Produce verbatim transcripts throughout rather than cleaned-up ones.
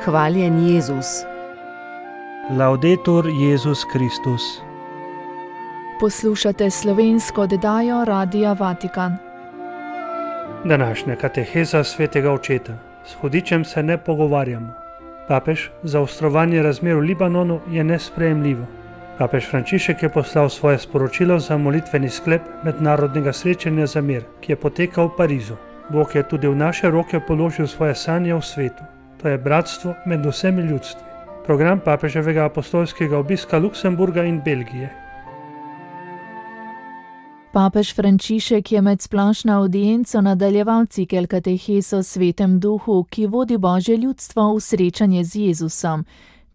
Hvaljen Jezus. Laudetur Jezus Kristus. Poslušate slovensko oddajo Radia Vatikan. Današnja kateheza svetega očeta. S hudičem se ne pogovarjamo. Papež, zaostrovanje razmer v Libanonu je nesprejemljivo. Papež Frančišek je poslal svoje sporočilo za molitveni sklep mednarodnega srečanja za mir, ki je potekal v Parizu. Bog je tudi v naše roke položil svoje sanje v svetu. To je bratstvo med vsemi ljudstvi. Program papeževega apostolskega obiska Luksemburga in Belgije. Papež Frančišek je med splošno avdienco nadaljeval cikel katehes o svetem duhu, ki vodi Božje ljudstvo v srečanje z Jezusom.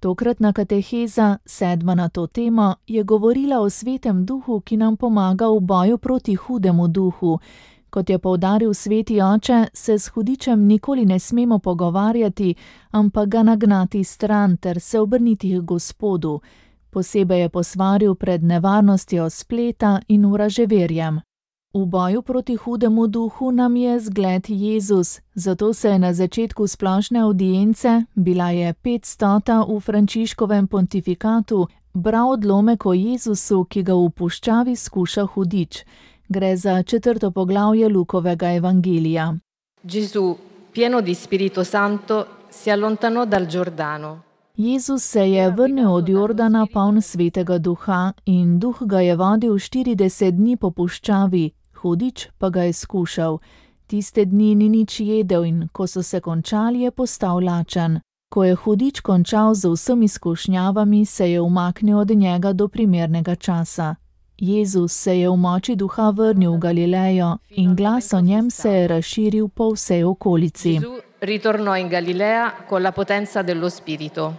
Tokratna kateheza, sedma na to temo, je govorila o svetem duhu, ki nam pomaga v boju proti hudemu duhu. Kot je poudaril sveti oče, se s hudičem nikoli ne smemo pogovarjati, ampak ga nagnati stran ter se obrniti k Gospodu. Posebej je posvaril pred nevarnostjo spleta in vraževerjem. V boju proti hudemu duhu nam je zgled Jezus, zato se je na začetku splošne avdience, bila je petstota v Frančiškovem pontifikatu, bral odlomek o Jezusu, ki ga v puščavi skuša hudič. Gre za četrto poglavje Lukovega evangelija. Gesù, pieno di Spirito Santo, si allontanò dal Giordano. Jezus se je vrnil od Jordana poln svetega duha in duh ga je vodil štirideset dni po puščavi, hudič pa ga je skušal. Tiste dni ni nič jedel in ko so se končali, je postal lačen. Ko je hudič končal z vsemi skušnjavami, se je umaknil od njega do primernega časa. Jezus se je v moči duha vrnil v Galilejo in glas o njem se je razširil po vsej okolici. Gesù ritornò in Galilea con la potenza dello Spirito.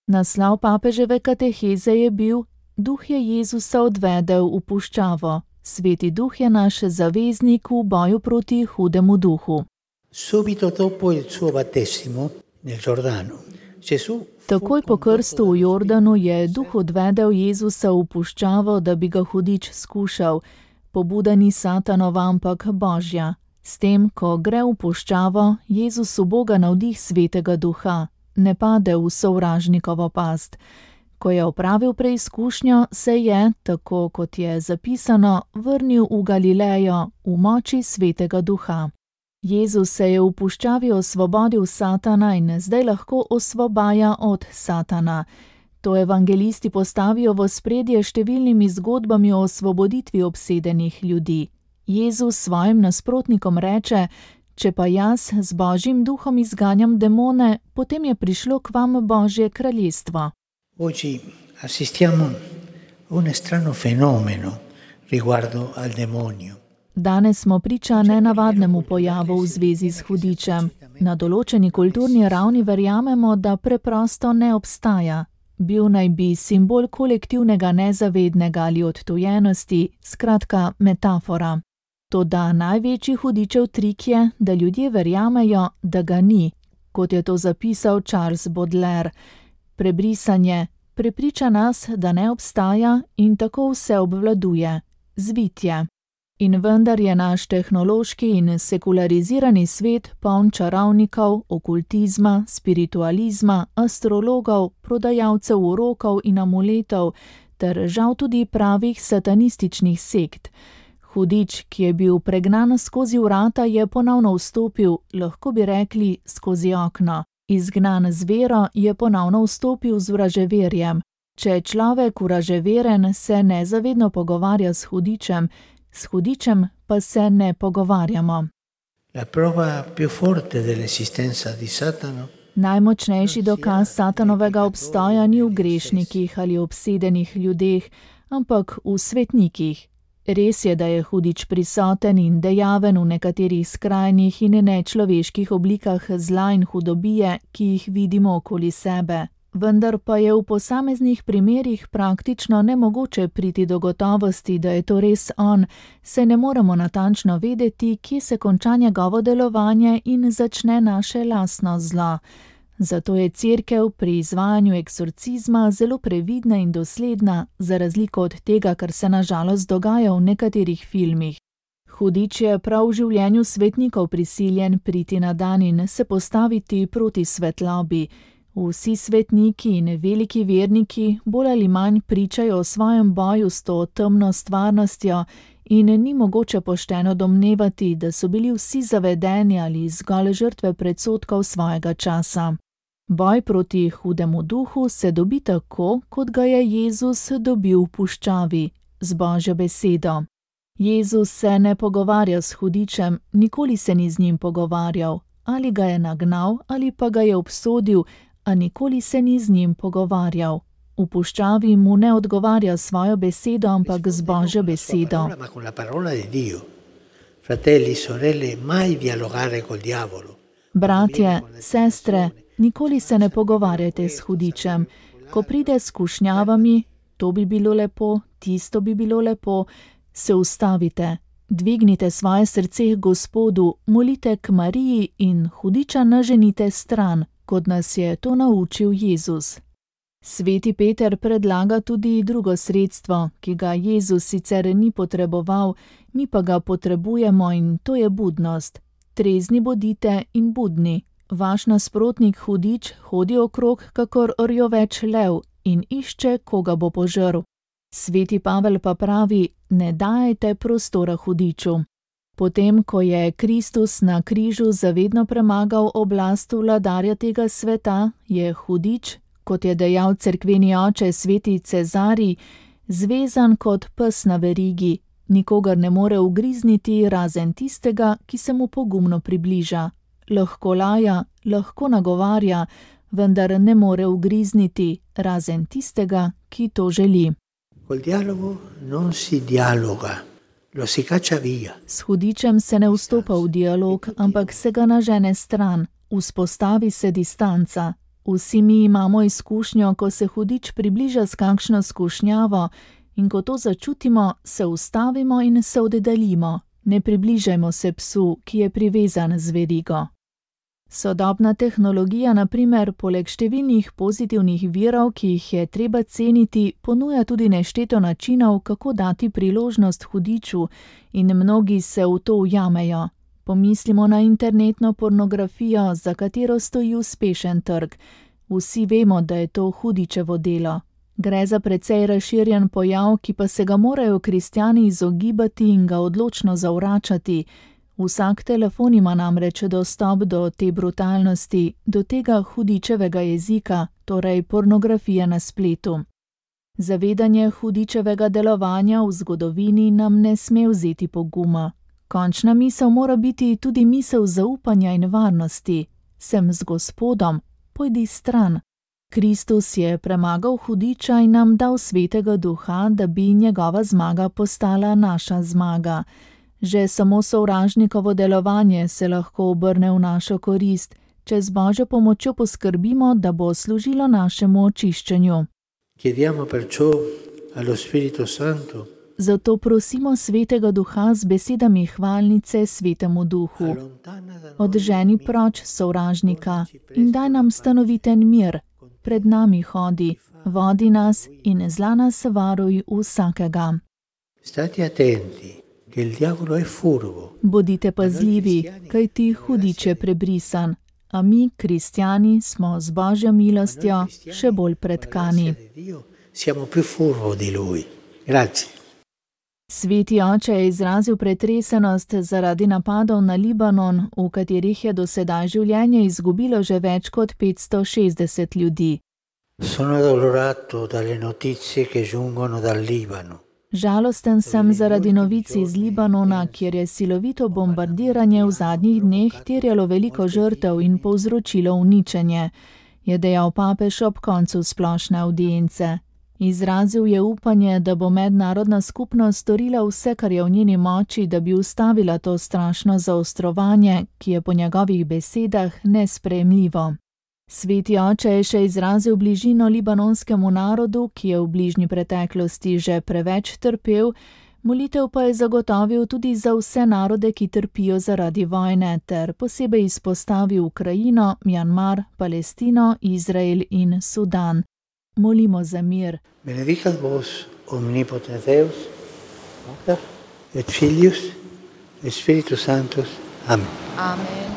Naslov papeževe kateheze je bil: Duh je Jezusa odvedel v puščavo. Sveti duh je naš zaveznik v boju proti hudemu duhu. Subito dopo il suo battesimo nel Giordano, Gesù Takoj po krstu v Jordanu je duh odvedel Jezusa v puščavo, da bi ga hudič skušal. Pobuda ni Satanova, ampak Božja. S tem, ko gre v puščavo, Jezus uboga navdih svetega duha, ne pade v sovražnikovo past. Ko je opravil preizkušnjo, se je, tako kot je zapisano, vrnil v Galilejo v moči svetega duha. Jezus se je v puščavi osvobodil Satana in zdaj lahko osvobaja od Satana. To evangelisti postavijo v ospredje številnimi zgodbami o osvoboditvi obsedenih ljudi. Jezus svojim nasprotnikom reče: Če pa jaz z Božjim duhom izganjam demone, potem je prišlo k vam Božje kraljestvo. Oggi assistiamo a un strano fenomeno riguardo al demonio. Danes smo priča nenavadnemu pojavu v zvezi s hudičem. Na določeni kulturni ravni verjamemo, da preprosto ne obstaja. Bil naj bi simbol kolektivnega nezavednega ali odtujenosti, skratka metafora. Toda največji hudičev trik je, da ljudje verjamejo, da ga ni, kot je to zapisal Charles Baudelaire. Prebrisanje prepriča nas, da ne obstaja in tako vse obvladuje. Zvitje. In vendar je naš tehnološki in sekularizirani svet poln čarovnikov, okultizma, spiritualizma, astrologov, prodajalcev urokov in amuletov ter žal tudi pravih satanističnih sekt. Hudič, ki je bil pregnan skozi vrata, je ponovno vstopil, lahko bi rekli skozi okno. Izgnan z vero je ponovno vstopil z vraževerjem. Če je človek vraževeren, se nezavedno pogovarja s hudičem, s hudičem pa se ne pogovarjamo. La prova più forte dell'esistenza di Satano. Najmočnejši dokaz Satanovega obstoja ni v grešnikih ali obsedenih ljudeh, ampak v svetnikih. Res je, da je hudič prisoten in dejaven v nekaterih skrajnih in nečloveških oblikah zla in hudobije, ki jih vidimo okoli sebe. Vendar pa je v posameznih primerih praktično nemogoče priti do gotovosti, da je to res on, saj ne moremo natančno vedeti, kje se konča njegovo delovanje in začne naše lastno zlo. Zato je Cerkev pri izvajanju eksorcizma zelo previdna in dosledna, za razliko od tega, kar se na žalost dogaja v nekaterih filmih. Hudič je prav v življenju svetnikov prisiljen priti na dan in se postaviti proti svetlobi. Vsi svetniki in veliki verniki bolj ali manj pričajo o svojem boju s to temno stvarnostjo in ni mogoče pošteno domnevati, da so bili vsi zavedeni ali zgolj žrtve predsodkov svojega časa. Boj proti hudemu duhu se dobi tako, kot ga je Jezus dobil v puščavi, z Božjo besedo. Jezus se ne pogovarja s hudičem, nikoli se ni z njim pogovarjal, ali ga je nagnal ali pa ga je obsodil, a nikoli se ni z njim pogovarjal. V puščavi mu ne odgovarja svojo besedo, ampak z Božjo besedo. Bratje, sestre, nikoli se ne pogovarjajte s hudičem. Ko pride s skušnjavami, to bi bilo lepo, tisto bi bilo lepo, se ustavite, dvignite svoje srce k Gospodu, molite k Mariji in hudiča naženite stran, kot nas je to naučil Jezus. Sveti Peter predlaga tudi drugo sredstvo, ki ga Jezus sicer ni potreboval, mi pa ga potrebujemo in to je budnost. Trezni bodite in budni. Vaš nasprotnik hudič hodi okrog kakor rjoveč lev in išče, koga bo požrl. Sveti Pavel pa pravi, ne dajajte prostora hudiču. Potem, ko je Kristus na križu zavedno premagal oblast vladarja tega sveta, je hudič, kot je dejal cerkveni oče sveti Cezarij, zvezan kot pes na verigi, nikogar ne more ugrizniti razen tistega, ki se mu pogumno približa. Lahko laja, lahko nagovarja, vendar ne more ugrizniti razen tistega, ki to želi. Col dialogo non si dialoga, lo si caccia via. S hudičem se ne vstopa v dialog, ampak se ga nažene stran, vzpostavi se distanca. Vsi mi imamo izkušnjo, ko se hudič približa s kakšno skušnjavo in ko to začutimo, se ustavimo in se oddaljimo. Ne približajmo se psu, ki je privezan z verigo. Sodobna tehnologija, na primer, poleg številnih pozitivnih virov, ki jih je treba ceniti, ponuja tudi nešteto načinov, kako dati priložnost hudiču, in mnogi se v to ujamejo. Pomislimo na internetno pornografijo, za katero stoji uspešen trg. Vsi vemo, da je to hudičevo delo. Gre za precej razširjen pojav, ki pa se ga morajo kristjani izogibati in ga odločno zavračati. Vsak telefon ima namreč dostop do te brutalnosti, do tega hudičevega jezika, torej pornografije na spletu. Zavedanje hudičevega delovanja v zgodovini nam ne sme vzeti poguma. Končna misel mora biti tudi misel zaupanja in varnosti. Sem z Gospodom, pojdi stran. Kristus je premagal hudiča in nam dal svetega duha, da bi njegova zmaga postala naša zmaga. Že samo sovražnikovo delovanje se lahko obrne v našo korist, če z Božjo pomočjo poskrbimo, da bo služilo našemu očiščenju. Chiediamo perciò allo Spirito Santo. Zato prosimo svetega duha z besedami hvalnice svetemu duhu. Odženi proč sovražnika in daj nam stanoviten mir. Pred nami hodi, vodi nas in zla nas varuj vsakega. Stati attenti. Bodite pazljivi, kajti hudič je prebrisan, a mi, kristjani, smo z Božjo milostjo še bolj pretkani. Sveti oče je izrazil pretresenost zaradi napadov na Libanon, v katerih je do sedaj življenje izgubilo že več kot petsto šestdeset ljudi. Sono addolorato dalle notizie che giungono dal Libano. Žalosten sem zaradi novic iz Libanona, kjer je silovito bombardiranje v zadnjih dneh terjalo veliko žrtev in povzročilo uničenje, je dejal papež ob koncu splošne avdience. Izrazil je upanje, da bo mednarodna skupnost storila vse, kar je v njeni moči, da bi ustavila to strašno zaostrovanje, ki je po njegovih besedah nesprejemljivo. Sveti oče je še izrazil bližino libanonskemu narodu, ki je v bližnji preteklosti že preveč trpel, molitev pa je zagotovil tudi za vse narode, ki trpijo zaradi vojne, ter posebej izpostavil Ukrajino, Mjanmar, Palestino, Izrael in Sudan. Molimo za mir. Benedicat vos omnipotens Deus, Pater et Filius e Spiritus Sanctus. Amen. Amen.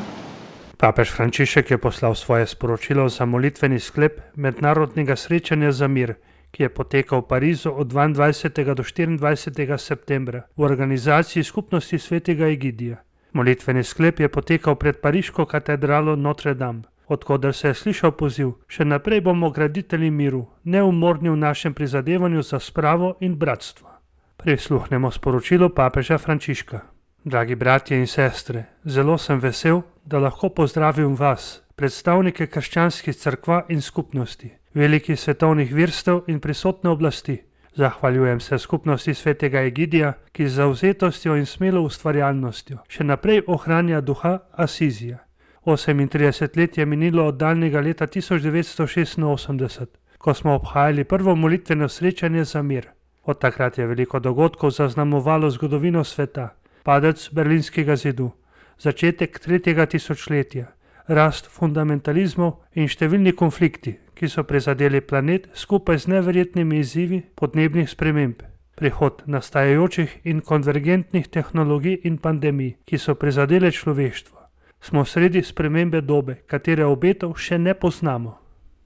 Papež Frančišek je poslal svoje sporočilo za molitveni sklep mednarodnega srečanja za mir, ki je potekal v Parizu od dvaindvajsetega do štiriindvajsetega septembra v organizaciji Skupnosti svetega Egidija. Molitveni sklep je potekal pred pariško katedralo Notre Dame, odkoder se je slišal poziv: še naprej bomo graditelji miru, neumorni v našem prizadevanju za spravo in bratstvo. Prisluhnemo sporočilu papeža Frančiška. Dragi bratje in sestre, zelo sem vesel, da lahko pozdravim vas, predstavnike krščanskih cerkva in skupnosti, velikih svetovnih virstev in prisotne oblasti. Zahvaljujem se Skupnosti svetega Egidija, ki z zavzetostjo in smelo ustvarjalnostjo še naprej ohranja duha Asizija. osemintrideset let je minilo od daljnega leta tisoč devetsto šestinosemdeset, ko smo obhajali prvo molitveno srečanje za mir. Od takrat je veliko dogodkov zaznamovalo zgodovino sveta: padec berlinskega zidu, začetek tretjega tisočletja, rast fundamentalizmov in številni konflikti, ki so prizadeli planet skupaj z neverjetnimi izzivi podnebnih sprememb, prihod nastajajočih in konvergentnih tehnologij in pandemij, ki so prizadele človeštvo. Smo sredi spremembe dobe, katere obetov še ne poznamo.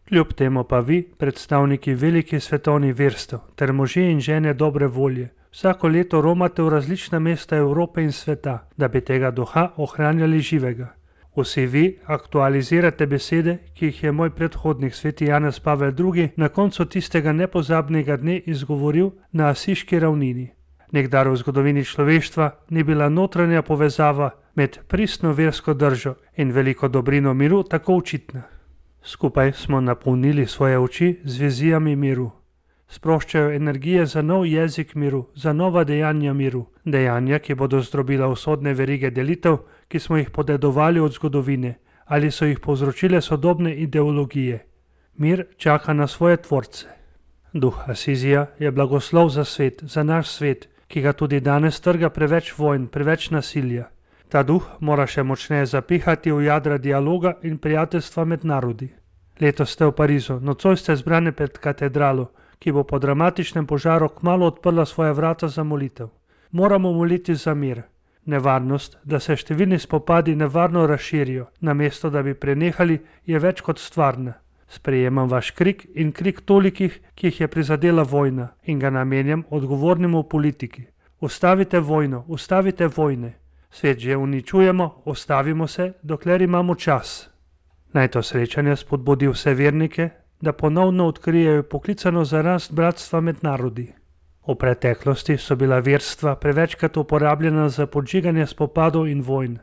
Kljub temu pa vi, predstavniki velikih svetovnih verstev ter možje in žene dobre volje, vsako leto romate v različna mesta Evrope in sveta, da bi tega duha ohranjali živega. Vsi vi aktualizirate besede, ki jih je moj predhodnik sveti Janez Pavel drugi na koncu tistega nepozabnega dne izgovoril na Asiški ravnini. Nikdar v zgodovini človeštva ni bila notranja povezava med pristno versko držo in veliko dobrino miru tako očitna. Skupaj smo napolnili svoje oči z vizijami miru. Sproščajo energije za nov jezik miru, za nova dejanja miru, dejanja, ki bodo zdrobila usodne verige delitev, ki smo jih podedovali od zgodovine ali so jih povzročile sodobne ideologije. Mir čaka na svoje tvorce. Duh Asizija je blagoslov za svet, za naš svet, ki ga tudi danes trga preveč vojn, preveč nasilja. Ta duh mora še močneje zapihati v jadra dialoga in prijateljstva med narodi. Letos ste v Parizu, nocoj ste zbrane pred katedralo, ki bo po dramatičnem požaru kmalu odprla svoja vrata za molitev. Moramo moliti za mir. Nevarnost, da se številni spopadi nevarno razširijo, namesto da bi prenehali, je več kot stvarna. Sprejemam vaš krik in krik tolikih, ki jih je prizadela vojna, in ga namenjam odgovornemu politiki. Ustavite vojno, ustavite vojne. Svet že uničujemo, ustavimo se, dokler imamo čas. Naj to srečanje spodbudi vse vernike, da ponovno odkrijejo poklicano za rast bratstva med narodi. V preteklosti so bila verstva prevečkrat uporabljena za podžiganje spopadov in vojn.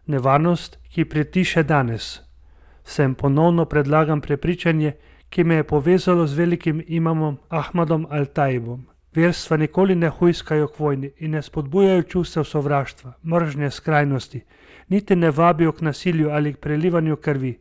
Nevarnost, ki pretiše danes. Sem ponovno predlagam prepričanje, ki me je povezalo z velikim imamom Ahmadom Al-Taibom. Verstva nikoli ne hujskajo k vojni in ne spodbujajo čustev sovraštva, mržnje, skrajnosti, niti ne vabijo k nasilju ali k prelivanju krvi.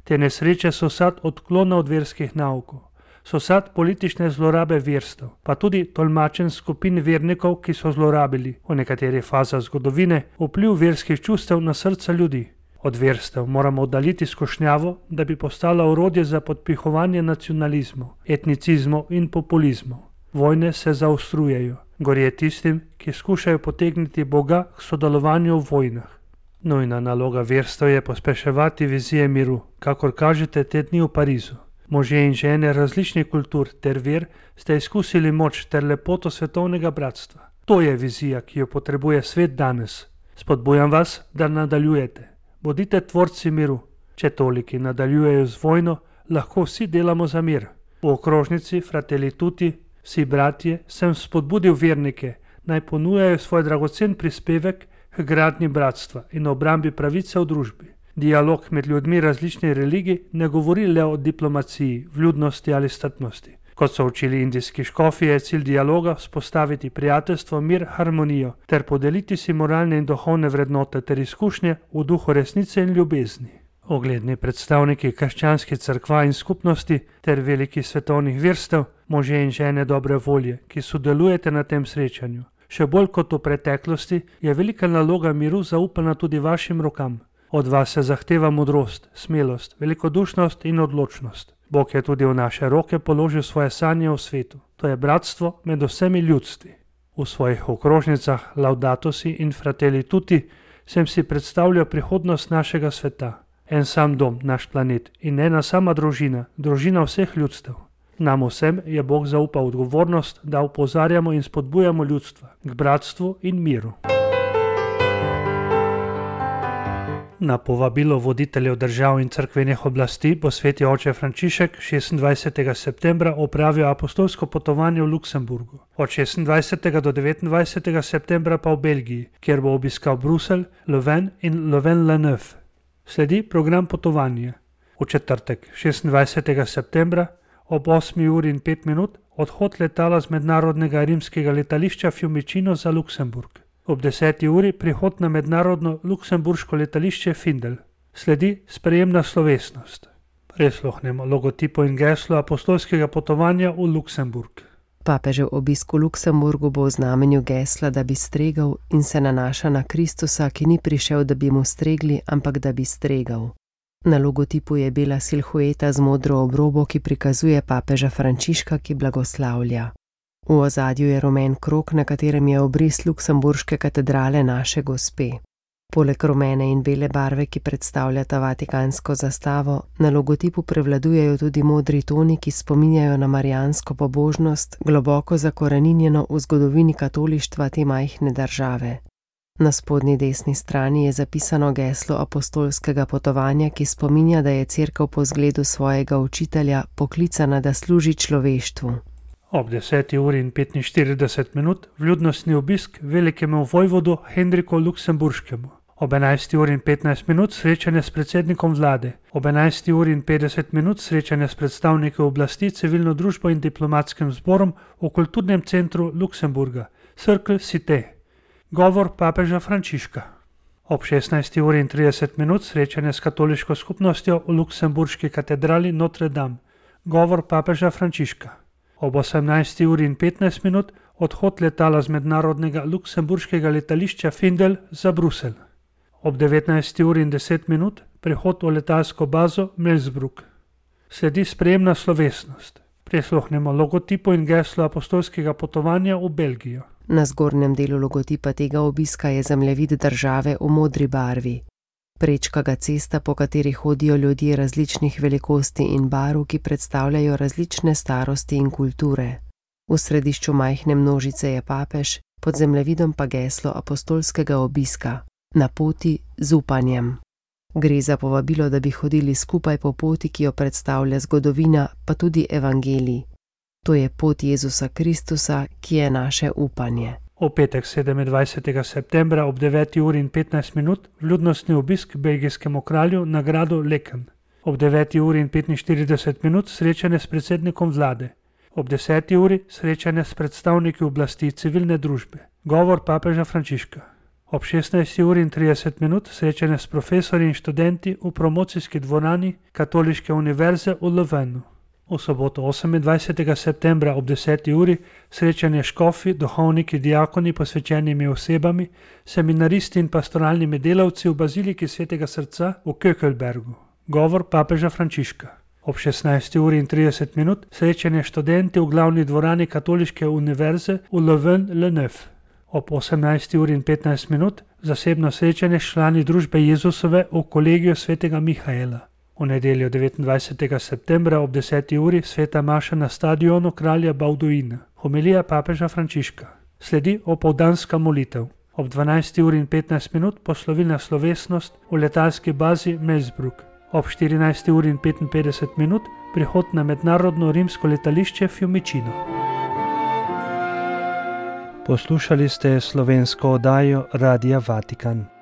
Te nesreče so sad odklona od verskih naukov, so sad politične zlorabe verstev, pa tudi tolmačen skupin vernikov, ki so zlorabili v nekaterih fazah zgodovine vpliv verskih čustev na srca ljudi. Od verstev moramo oddaliti skušnjavo, da bi postala orodje za podpihovanje nacionalizmov, etnicizmov in populizmov. Vojne se zaostrujejo, gorje tistim, ki skušajo potegniti Boga k sodelovanju v vojnah. Nujna naloga verstev je pospeševati vizije miru, kakor kažete te dni v Parizu. Možje in žene različnih kultur ter ver ste izkusili moč ter lepoto svetovnega bratstva. To je vizija, ki jo potrebuje svet danes. Spodbujam vas, da nadaljujete. Bodite tvorci miru. Če toliki nadaljujejo z vojno, lahko vsi delamo za mir. V okrožnici Fratelli Tutti, vsi bratje, sem spodbudil vernike, naj ponujajo svoj dragocen prispevek k gradnji bratstva in obrambi pravice v družbi. Dialog med ljudmi različnih religij ne govori le o diplomaciji, vljudnosti ali strpnosti. Kot so učili indijski škofi, je cilj dialoga vzpostaviti prijateljstvo, mir, harmonijo ter podeliti si moralne in duhovne vrednote ter izkušnje v duhu resnice in ljubezni. Ogledni predstavniki krščanskih cerkva in skupnosti ter velikih svetovnih verstev, možje in žene dobre volje, ki sodelujete na tem srečanju. Še bolj kot v preteklosti je velika naloga miru zaupana tudi vašim rokam. Od vas se zahteva modrost, smelost, velikodušnost in odločnost. Bog je tudi v naše roke položil svoje sanje v svetu. To je bratstvo med vsemi ljudstvi. V svojih okrožnicah Laudato si in Fratelli Tutti sem si predstavljal prihodnost našega sveta. En sam dom, naš planet in ena sama družina, družina vseh ljudstev. Nam vsem je Bog zaupal odgovornost, da opozarjamo in spodbujamo ljudstva k bratstvu in miru. Na povabilo voditeljev držav in cerkvenih oblasti bo sveti oče Frančišek šestindvajsetega septembra opravil apostolsko potovanje v Luksemburgu, od šestindvajsetega do devetindvajsetega septembra pa v Belgiji, kjer bo obiskal Bruselj, Leuven in Leuven-la-Neuve. Sledi program potovanja. V četrtek, šestindvajsetega septembra, ob osmi uri in pet minut, odhod letala z mednarodnega rimskega letališča Fiumicino za Luksemburg. Ob deseti uri prihod na mednarodno luksemburško letališče Findel. Sledi sprejemna slovesnost. Prisluhnemo logotipu in geslu apostolskega potovanja v Luksemburg. Papežev obisk v Luksemburgu bo v znamenju gesla, da bi stregel, in se nanaša na Kristusa, ki ni prišel, da bi mu stregli, ampak da bi stregal. Na logotipu je bela silhueta z modro obrobo, ki prikazuje papeža Frančiška, ki blagoslavlja. V ozadju je rumen krog, na katerem je obris luksemburške katedrale Naše Gospe. Poleg rumene in bele barve, ki predstavljata vatikansko zastavo, na logotipu prevladujejo tudi modri toni, ki spominjajo na marijansko pobožnost, globoko zakoreninjeno v zgodovini katolištva te majhne države. Na spodnji desni strani je zapisano geslo apostolskega potovanja, ki spominja, da je cerkev po zgledu svojega učitelja poklicana, da služi človeštvu. Ob deseti uri in petinštirideset minut vljudnostni obisk velikemu vojvodu Henriku Luksemburškemu. Ob enajsti uri in petnajst minut srečanje s predsednikom vlade. Ob enajsti uri in petdeset minut srečanje s predstavniki oblasti, civilno družbo in diplomatskim zborom v kulturnem centru Luksemburga, Cercle Cité. Govor papeža Frančiška. Ob šestnajsti uri in trideset minut srečanje s katoliško skupnostjo v luksemburški katedrali Notre Dame. Govor papeža Frančiška. Ob osemnajsti uri in petnajst minut odhod letala z mednarodnega luksemburškega letališča Findel za Bruselj. Ob devetnajsti uri in deset minut prihod v letalsko bazo Melsbrook. Sledi sprejemna slovesnost. Prisluhnemo logotipu in geslu apostolskega potovanja v Belgijo. Na zgornjem delu logotipa tega obiska je zemljevid države v modri barvi. Prečka ga cesta, po kateri hodijo ljudje različnih velikosti in barv, ki predstavljajo različne starosti in kulture. V središču majhne množice je papež, pod zemljevidom pa geslo apostolskega obiska: na poti z upanjem. Gre za povabilo, da bi hodili skupaj po poti, ki jo predstavlja zgodovina, pa tudi evangelij. To je pot Jezusa Kristusa, ki je naše upanje. V petek sedemindvajsetega septembra ob deveti uri in petnajst minut vljudnostni obisk belgijskemu kralju na gradu Leken. Ob deveti uri in petinštirideset minut srečanje s predsednikom vlade. Ob deseti uri srečanje s predstavniki oblasti civilne družbe. Govor papeža Frančiška. Ob šestnajsti uri in trideset minut srečanje s profesorji in študenti v promocijski dvorani Katoliške univerze v Leuvenu. V soboto osemindvajsetega septembra ob deseti uri srečanje škofi, duhovniki, diakoni, posvečenimi osebami, seminaristi in pastoralnimi delavci v baziliki Svetega srca v Kökelbergu. Govor papeža Frančiška. Ob šestnajsti uri in trideset minut srečanje študenti v glavni dvorani Katoliške univerze v Leuven-la-Neuve. Ob osemnajsti uri in petnajst minut zasebno srečanje s člani družbe Jezusove v kolegiju Svetega Mihaela. V nedeljo devetindvajsetega septembra ob deseti uri sveta maša na stadionu kralja Bauduina. Homilija papeža Frančiška. Sledi opoldanska molitev. Ob dvanajsti uri in petnajst minut poslovilna slovesnost v letalski bazi Melsbrook. Ob štirinajsti uri in petinpetdeset minut prihod na mednarodno rimsko letališče Fiumicino. Poslušali ste slovensko oddajo Radia Vatikan.